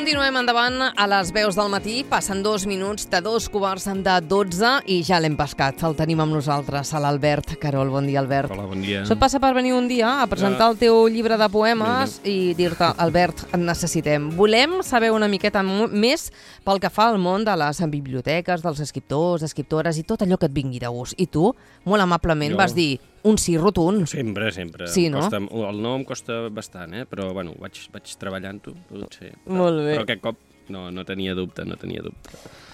Continuem endavant a les veus del matí. Passen 2 minuts de 2:15 i ja l'hem pescat. El tenim amb nosaltres, a l'Albert Carol. Bon dia, Albert. Hola, bon dia. Això et passa per venir un dia a presentar el teu llibre de poemes i dir-te, Albert, et necessitem. Volem saber una miqueta més pel que fa al món de les biblioteques, dels escriptors, escriptores i tot allò que et vingui de gust. I tu, molt amablement, vas dir un sí rotund. Sempre. Sí, no? El no em costa bastant, però bueno, vaig treballant-ho, potser. Molt bé. Però aquest cop no tenia dubte.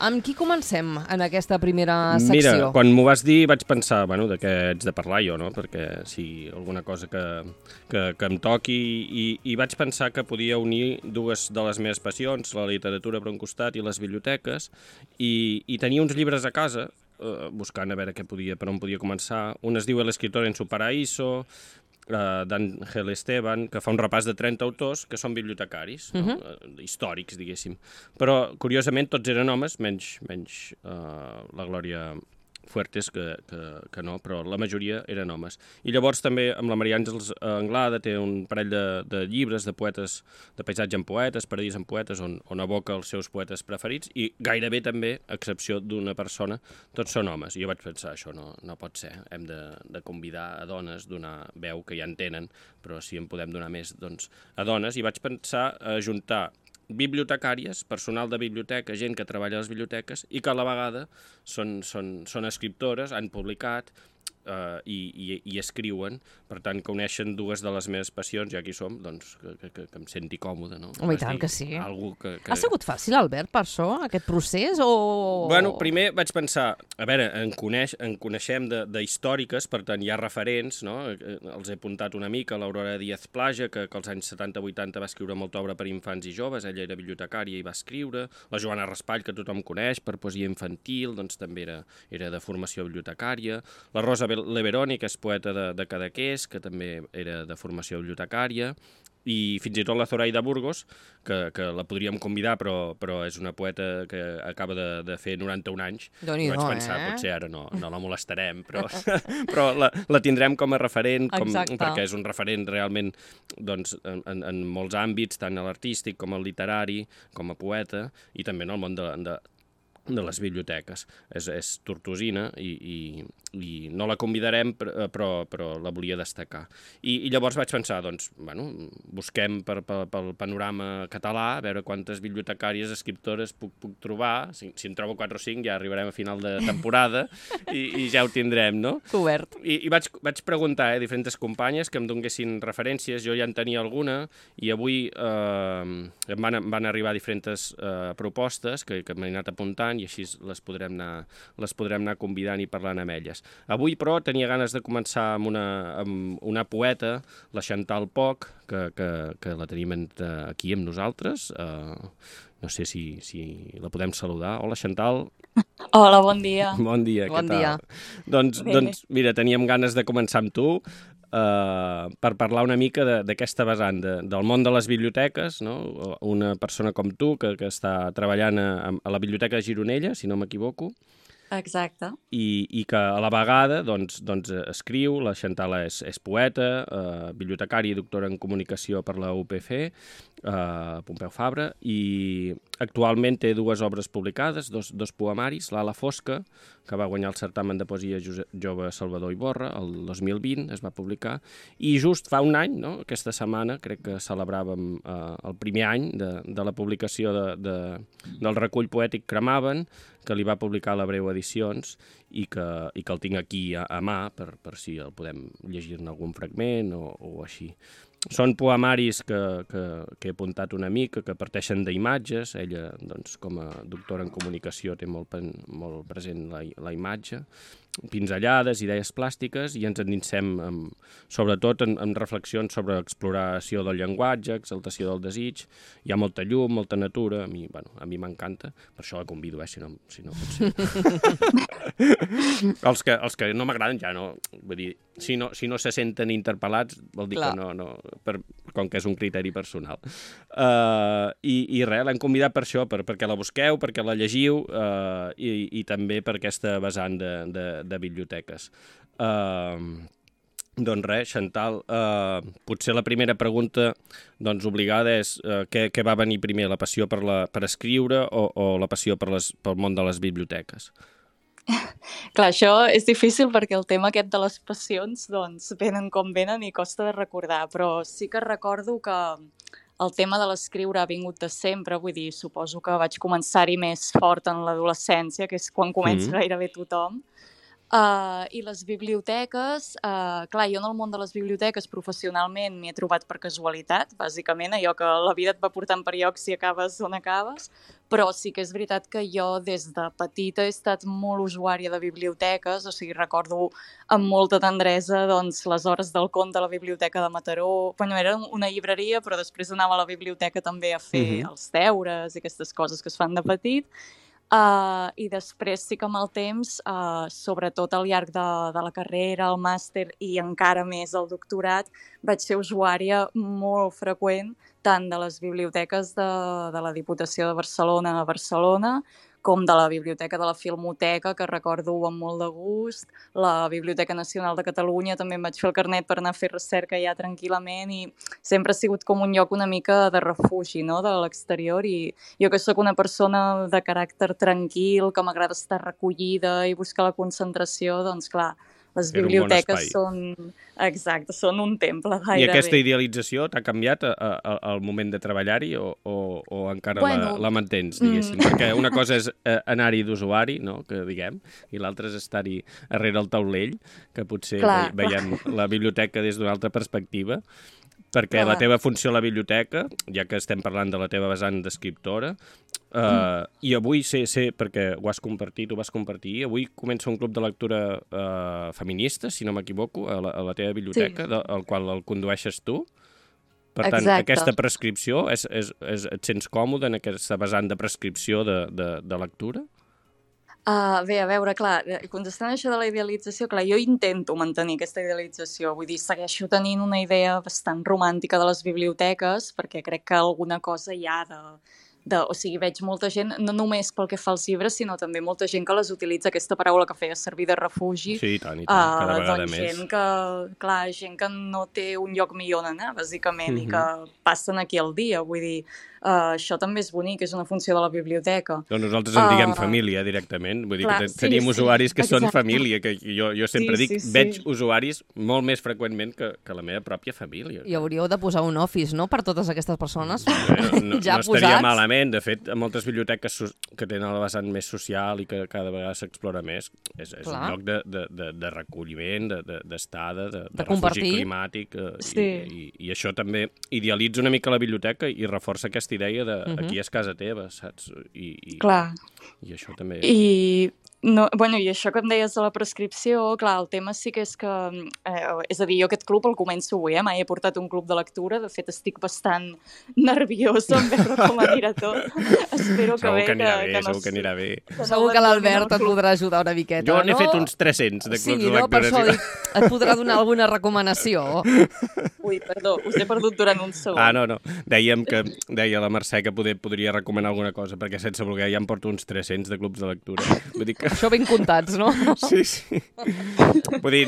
Amb qui comencem en aquesta primera secció? Mira, quan m'ho vas dir vaig pensar, de què ets de parlar jo, no? Perquè si alguna cosa que em toqui i vaig pensar que podia unir dues de les meves passions, la literatura per un costat i les biblioteques, i tenia uns llibres a casa, buscant a veure per on podia començar. Un es diu El escritor en su paraíso, d'Ángel Esteban, que fa un repàs de 30 autors que són bibliotecaris, històrics, diguéssim. Però, curiosament, tots eren homes, menys la Glòria Fuertes, que no, però la majoria eren homes. I llavors també amb la Maria Àngels Anglada té un parell de llibres de poetes, de paisatge en poetes, paradís en poetes, on aboca els seus poetes preferits, i gairebé també, a excepció d'una persona, tots són homes. I jo vaig pensar, això no pot ser, hem de convidar a dones, donar veu, que ja en tenen, però si en podem donar més, doncs, a dones, i vaig pensar a juntar bibliotecàries, personal de biblioteca, gent que treballa a les biblioteques i que a la vegada són escriptores, han publicat i escriuen, per tant que uneixen dues de les meves passions, ja aquí som, doncs que em senti còmode, no? Home, i tant que sí. Que... Ha sigut fàcil, Albert, per això, aquest procés, o...? Bueno, primer vaig pensar, a veure, en coneixem d'històriques, per tant hi ha referents, no? Els he apuntat una mica, l'Aurora Díaz Plaja, que als anys 70-80 va escriure molta obra per infants i joves, ella era bibliotecària i va escriure, la Joana Raspall, que tothom coneix, per poesia infantil, doncs també era de formació bibliotecària, la Rosa Leveroni, que és poeta de Cadaqués, que també era de formació bibliotecària, i fins i tot la Zoraida Burgos, que la podríem convidar, però és una poeta que acaba de fer 91 anys. Vaig pensar, potser ara no la molestarem, però la tindrem com a referent, perquè és un referent realment doncs, en molts àmbits, tant a l'artístic com al literari, com a poeta, i també en el món de les biblioteques. És tortosina i no la convidarem, però la volia destacar. I llavors vaig pensar, doncs, busquem pel panorama català, a veure quantes bibliotecàries, escriptores puc trobar. Si en trobo 4 o 5 ja arribarem a final de temporada i ja ho tindrem, no? Cobert. I vaig preguntar a diferents companyes que em donguessin referències, jo ja en tenia alguna, i avui em van arribar diferents propostes que m'he anat apuntant, i així les podrem anar convidant i parlant amb elles. Avui, però, tenia ganes de començar amb una poeta, la Chantal Poch, que la tenim aquí amb nosaltres. No sé si la podem saludar. Hola, Chantal. Hola, bon dia. Bon dia, què tal? Doncs, mira, teníem ganes de començar amb tu, per parlar una mica d'aquesta vessant del món de les biblioteques, no? Una persona com tu que està treballant a la Biblioteca de Gironella, si no m'equivoco. Exacte. I que a la vegada doncs escriu, la Chantal és poeta, bibliotecària i doctora en comunicació per la UPF, Pompeu Fabra, i actualment té 2 obres publicades, dos poemaris, L'ala fosca, que va guanyar el certamen de poesia jove Salvador Iborra, el 2020 es va publicar, i just fa un any, no? Aquesta setmana, crec que celebràvem el primer any de la publicació del recull poètic Cremaven, que li va publicar la Breu Edicions, i que el tinc aquí a mà, per si el podem llegir-ne algun fragment o així. Són poemaris que he apuntat una mica, que parteixen d'imatges. Ella, doncs, com a doctora en comunicació, té molt present la imatge, pinzellades, idees plàstiques, i ens endinsem sobretot en reflexions sobre exploració del llenguatge, exaltació del desig. Hi ha molta llum, molta natura, a mi m'encanta, per això la convido, si no pot ser. Els que no m'agraden ja no, vull dir, si no se senten interpel·lats, vol dir que no, com que és un criteri personal. I res, l'hem convidat per això, perquè la busqueu, perquè la llegiu, i també per aquesta vessant de biblioteques. Doncs res, Xantal, potser la primera pregunta doncs, obligada és què va venir primer, la passió per escriure o la passió pel món de les biblioteques? Clar, això és difícil perquè el tema aquest de les passions doncs, venen com venen i costa de recordar, però sí que recordo que el tema de l'escriure ha vingut de sempre, vull dir, suposo que vaig començar-hi més fort en l'adolescència, que és quan comença gairebé tothom. I les biblioteques, clar, jo en el món de les biblioteques professionalment m'hi he trobat per casualitat, bàsicament, allò que la vida et va portant per llocs i acabes on acabes, però sí que és veritat que jo des de petita he estat molt usuària de biblioteques, o sigui, recordo amb molta tendresa doncs, les hores del conte a la biblioteca de Mataró. Bueno, era una llibreria, però després anava a la biblioteca també a fer els deures i aquestes coses que es fan de petit. I després sí que amb el temps, sobretot al llarg de la carrera, el màster i encara més el doctorat, vaig ser usuària molt freqüent tant de les biblioteques de la Diputació de Barcelona a Barcelona com de la Biblioteca de la Filmoteca, que recordo amb molt de gust, la Biblioteca Nacional de Catalunya, també em vaig fer el carnet per anar a fer recerca ja tranquil·lament i sempre ha sigut com un lloc una mica de refugi, no?, de l'exterior, i jo que sóc una persona de caràcter tranquil, que m'agrada estar recollida i buscar la concentració, doncs clar, les biblioteques són un temple gairebé. I aquesta idealització t'ha canviat al moment de treballar-hi o encara la mantens, diguéssim? Perquè una cosa és anar-hi d'usuari, no?, que diguem, i l'altra és estar-hi darrere el taulell, que potser veiem la biblioteca des d'una altra perspectiva, perquè la teva funció a la biblioteca, ja que estem parlant de la teva vessant d'escriptora, i avui sé, perquè ho vas compartir, avui comença un club de lectura feminista, si no m'equivoco, a la teva biblioteca, al qual el condueixes tu. Per tant, aquesta prescripció, et sents còmode en aquesta vessant de prescripció de lectura? Bé, a veure, clar, contestant això de la idealització, clar, jo intento mantenir aquesta idealització, vull dir, segueixo tenint una idea bastant romàntica de les biblioteques, perquè crec que alguna cosa hi ha o sigui, veig molta gent, no només pel que fa als llibres, sinó també molta gent que les utilitza, aquesta paraula que feia servir de refugi. Sí, i tant, cada vegada més. Gent que no té un lloc millor on anar, bàsicament, i que passen aquí al dia, vull dir, això també és bonic, és una funció de la biblioteca. Doncs nosaltres en diguem família directament, vull dir que tenim usuaris que són família, que jo sempre dic, veig usuaris molt més freqüentment que la meva pròpia família. I hauríeu de posar un office, no?, per totes aquestes persones no estaria malament. De fet, moltes biblioteques que tenen la vessant més social i que cada vegada s'explora més, és un lloc de recolliment, d'estada, de refugi climàtic, i això també idealitza una mica la biblioteca i reforça aquesta idea de aquí és casa teva, saps? Clar. I això també... I això que em deies de la prescripció, clar, el tema sí que és que... és a dir, jo aquest club el començo avui, mai he portat un club de lectura, de fet estic bastant nerviosa en veure com anirà tot. Espero que segur que anirà bé. Segur que l'Albert et podrà ajudar una miqueta, no? Jo n'he fet uns 300 de clubs de lectura. Per això dic, et podrà donar alguna recomanació. Ui, perdó, us he perdut durant un segon. No. Deia la Mercè que podria recomanar alguna cosa, perquè sense voler ja em porto uns 300 de clubs de lectura. Vull dir que... Això ben comptats, no? Sí. Vull dir,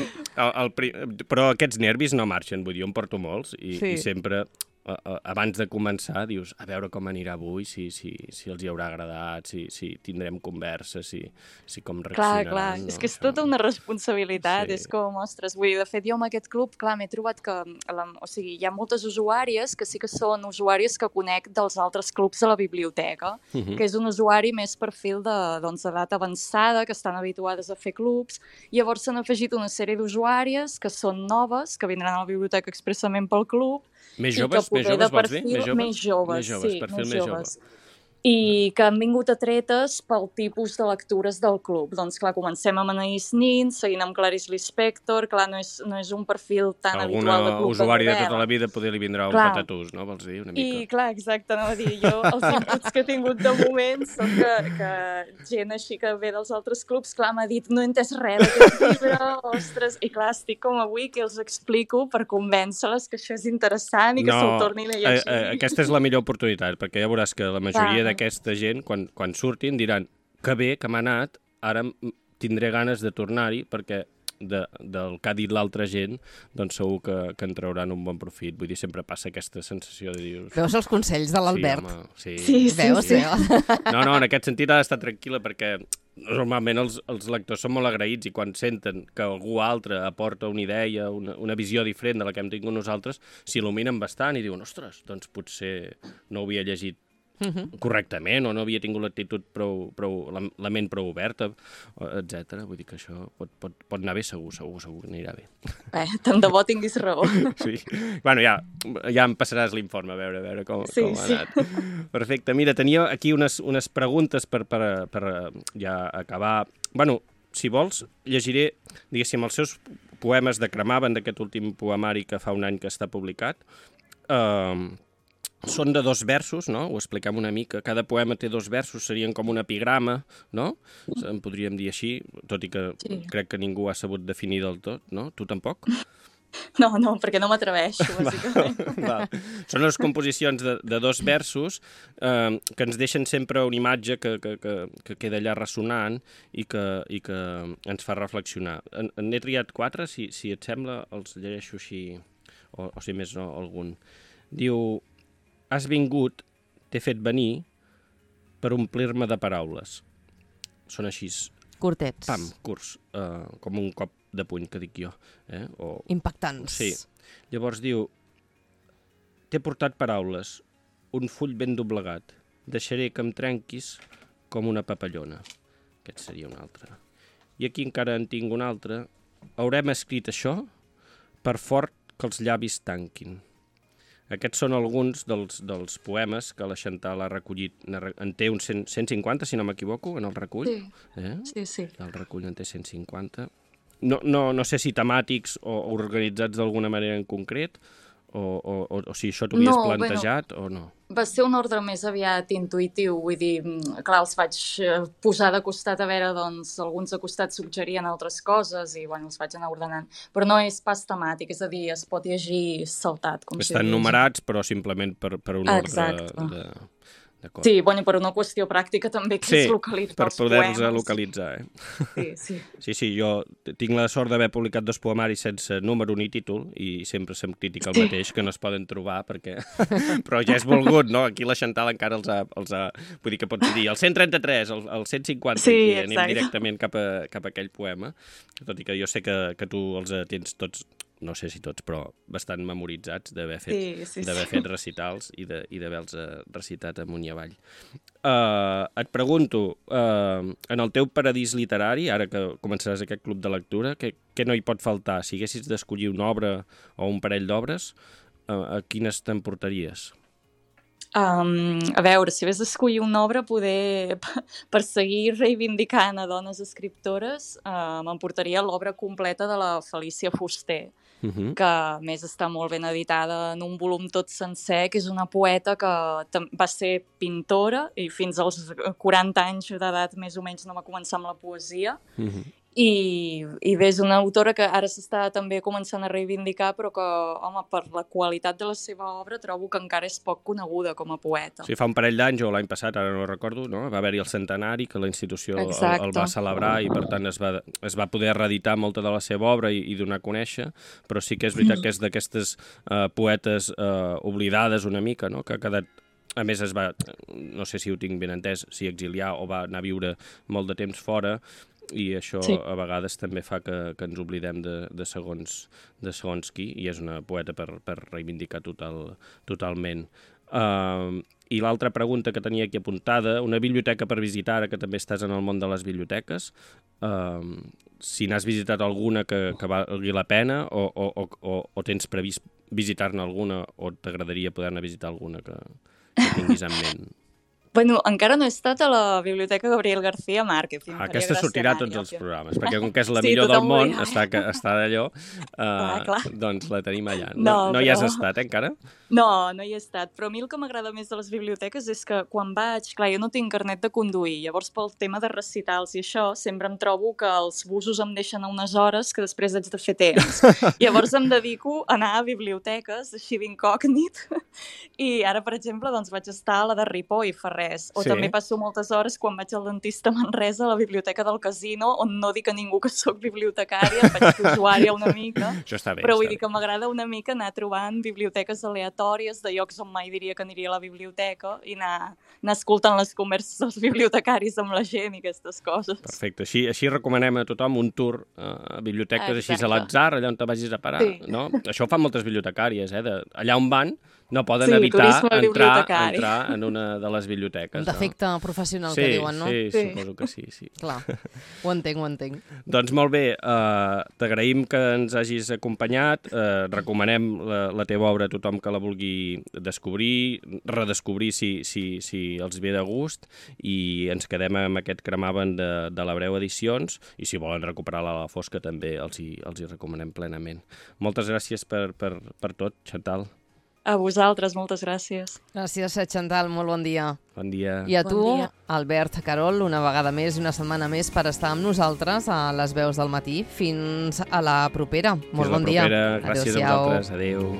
però aquests nervis no marxen, vull dir, jo en porto molts i sempre... abans de començar dius, a veure com anirà avui, si els hi haurà agradat, si tindrem conversa, si com reaccionaran. Clar, és que és tota una responsabilitat, és com, ostres, vull dir, de fet jo amb aquest club, clar, m'he trobat que, o sigui, hi ha moltes usuàries que sí que són usuàries que conec dels altres clubs de la biblioteca, que és un usuari més perfil d'edat avançada, que estan habituades a fer clubs, llavors s'han afegit una sèrie d'usuàries que són noves, que vindran a la biblioteca expressament pel club, més joves vols dir? Més joves. I que han vingut atretes pel tipus de lectures del club. Doncs clar, comencem amb Anaïs Nin, seguint amb Clarice Lispector, clar, no és un perfil tan habitual de club de usuari de tota la vida poder li vindrà un patatús, no? Vols dir, una mica? I clar, exacte, no? Dir, jo els inputs que he tingut de moment són que gent així que ve dels altres clubs, clar, m'ha dit, no he entès res d'aquest llibre, ostres, i clar, estic com avui que els explico per convèncer-les que això és interessant i que se'l tornin a llegir. Aquesta és la millor oportunitat, perquè ja veuràs que la majoria d'aquesta gent, quan surtin, diran que bé, que m'ha anat, ara tindré ganes de tornar-hi, perquè del que ha dit l'altra gent, doncs segur que en trauran un bon profit. Vull dir, sempre passa aquesta sensació de dir... Veus els consells de l'Albert? Sí, Veus? Sí. No, en aquest sentit ha d'estar tranquil·la perquè normalment els lectors són molt agraïts i quan senten que algú altre aporta una idea, una visió diferent de la que hem tingut nosaltres, s'il·luminen bastant i diuen, ostres, doncs potser no ho havia llegit correctament o no havia tingut l'actitud la ment prou oberta, etc. Vull dir que això pot anar bé, segur que anirà bé. Tant de bo tinguis raó. Sí. Bueno, ja em passaràs l'informe a veure com ha anat. Perfecte. Mira, tenia aquí unes preguntes per ja acabar. Bueno, si vols, llegiré, diguéssim, els seus poemes de Cremaven, d'aquest últim poemari que fa un any que està publicat. Són de 2 versos, no? Ho expliquem una mica. Cada poema té 2 versos, serien com un epigrama, no? En podríem dir així, tot i que crec que ningú ha sabut definir del tot, no? Tu tampoc? No, perquè no m'atreveixo, bàsicament. Són les composicions de 2 versos que ens deixen sempre una imatge que queda allà ressonant i que ens fa reflexionar. N'he triat 4, si et sembla, els llegeixo així, o si més no, algun. Diu... Has vingut, t'he fet venir per omplir-me de paraules. Són així... Curtets. Pam, curts, com un cop de puny, que dic jo. Impactants. Sí. Llavors diu, t'he portat paraules, un full ben doblegat. Deixaré que em trenquis com una papallona. Aquest seria un altre. I aquí encara en tinc un altre. Haurem escrit això per fort que els llavis tanquin. Aquests són alguns dels poemes que la Chantal ha recollit. En té uns 150, si no m'equivoco, en el recull. Sí. El recull en té 150. No sé si temàtics o organitzats d'alguna manera en concret, o si això t'ho havies plantejat o no. Va ser un ordre més aviat intuïtiu, vull dir, clar, els vaig posar de costat a veure, doncs, alguns de costat suggerien altres coses i, bueno, els vaig anar ordenant. Però no és pas temàtic, és a dir, es pot llegir saltat. Estan numerats, però simplement per un ordre de... Sí, bueno, per una qüestió pràctica també, que és localitzar els poemes. Per poder-los localitzar, Sí, jo tinc la sort d'haver publicat 2 poemaris sense número ni títol i sempre se'm critica el mateix, que no es poden trobar, perquè... Però ja és volgut, no? Aquí la Chantal encara els ha... Vull dir que pots dir el 133, el 150, i anem directament cap a aquell poema, tot i que jo sé que tu els tens tots... no sé si tots, però bastant memoritzats d'haver fet recitals i d'haver-los recitat amunt i avall. Et pregunto, en el teu paradís literari, ara que començaràs aquest club de lectura, què no hi pot faltar? Si haguessis d'escollir una obra o un parell d'obres, a quines t'emportaries? A veure, si hagués d'escollir una obra, poder per seguir reivindicant a dones escriptores, m'emportaria l'obra completa de la Felícia Fuster, que a més està molt ben editada en un volum tot sencer, que és una poeta que va ser pintora i fins als 40 anys d'edat més o menys no va començar amb la poesia. I bé, és una autora que ara s'està també començant a reivindicar, però que, home, per la qualitat de la seva obra trobo que encara és poc coneguda com a poeta. Sí, fa un parell d'anys, o l'any passat, ara no recordo, no? Va haver-hi el centenari, que la institució el va celebrar i, per tant, es va poder reeditar molta de la seva obra i donar a conèixer, però sí que és veritat que és d'aquestes poetes oblidades una mica, no? Que ha quedat... A més, no sé si ho tinc ben entès, si exiliar o va anar a viure molt de temps fora, i això a vegades també fa que ens oblidem de segons qui, i és una poeta per reivindicar totalment. I l'altra pregunta que tenia aquí apuntada, una biblioteca per visitar, ara que també estàs en el món de les biblioteques, si n'has visitat alguna que valgui la pena o tens previst visitar-ne alguna o t'agradaria poder-ne visitar alguna que tinguis en ment? Bueno, encara no he estat a la Biblioteca Gabriel García Márquez. Aquesta sortirà a tots els programes, perquè com que és la millor del món, està d'allò, doncs la tenim allà. No hi has estat, encara? No hi he estat, però a mi el que m'agrada més de les biblioteques és que quan vaig, clar, jo no tinc carnet de conduir, llavors pel tema de recitals i això, sempre em trobo que els busos em deixen a unes hores que després haig de fer temps. Llavors em dedico a anar a biblioteques, així d'incògnit, i ara, per exemple, doncs vaig estar a la de Ripoll fa res. O Sí. també passo moltes hores quan vaig al dentista a Manresa, a la biblioteca del casino, on no dic a ningú que sóc bibliotecària, faig d'usuària una mica. Això està bé. Però vull dir que m'agrada una mica anar trobant biblioteques aleatòries de llocs on mai diria que aniria a la biblioteca i anar escoltant les converses dels bibliotecaris amb la gent i aquestes coses. Perfecte. Així recomanem a tothom un tour a biblioteques així Exacte. a l'atzar, allà on te vagis a parar. Sí. No? Això ho fan moltes bibliotecàries, allà on van no poden Sí, evitar turisme bibliotecari. entrar en una de les biblioteques. Un defecte professional Sí, que diuen, no? sí, Sí. suposo que sí. Clar, ho entenc. Doncs molt bé, t'agraïm que ens hagis acompanyat, recomanem la teva obra a tothom que la vulgui descobrir, redescobrir si els ve de gust, i ens quedem amb aquest Cremaven de l'Abreu Edicions, i si volen recuperar-la a la fosca també els hi recomanem plenament. Moltes gràcies per tot, Chantal. A vosaltres, moltes gràcies. Gràcies, Chantal, molt bon dia. Bon dia. I a Bon tu, dia. Albert Carol, una vegada més i una setmana més per estar amb nosaltres a les veus del matí. Fins a la propera. Molt bon dia. Gràcies a vosaltres. Adéu.